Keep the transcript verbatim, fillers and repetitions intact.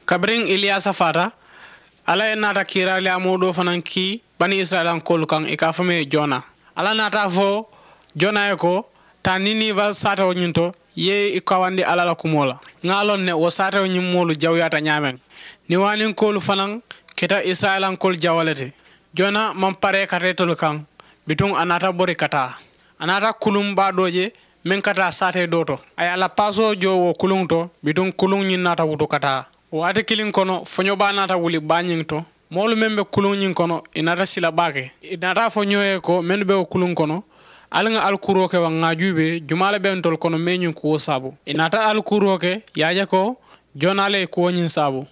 Kabiriŋ iliyaasa faata, alla ye naata kiiraariyaa moo doo fanaŋ kii bani isirayilankoolu kaŋ i ka a fo meŋ ye jona. Alla naata a fo jona ye ko, taa niniiba saatewo ñiŋ to, i ye i kawandi alla la kumoo la. Ŋa a loŋ ne wo saatewo ñiŋ moolu jawuyaata ñaameŋ. Niŋ waaninkoolu fanaŋ keta isirayilankoolu jawo le ti. Jona maŋ paree ka taa itolu kaŋ. Bituŋ a naata bori ka taa. A naata kuluŋ baa doo je meŋ ka taa saatee doo to. A ye a la paasoo joo wo kuluŋ to. Bituŋ kuluŋ ñiŋ naata wutu ka taa. Waati kiliŋ kono foño baa naata wuli baa ñiŋ to. Moolu meŋ be kuluŋ ñiŋ kono i naata sila baake. I naata a fo ñoo ye ko mennu be wo kuluŋ kono, ali ŋa ali kuuroo ke baŋ ŋa a juubee jumaa le be ntolu kono mee ñiŋ kuwo saabu. I naata ali kuuroo ke i ye a je ko jonaa le ye kuwo ñiŋ saabu.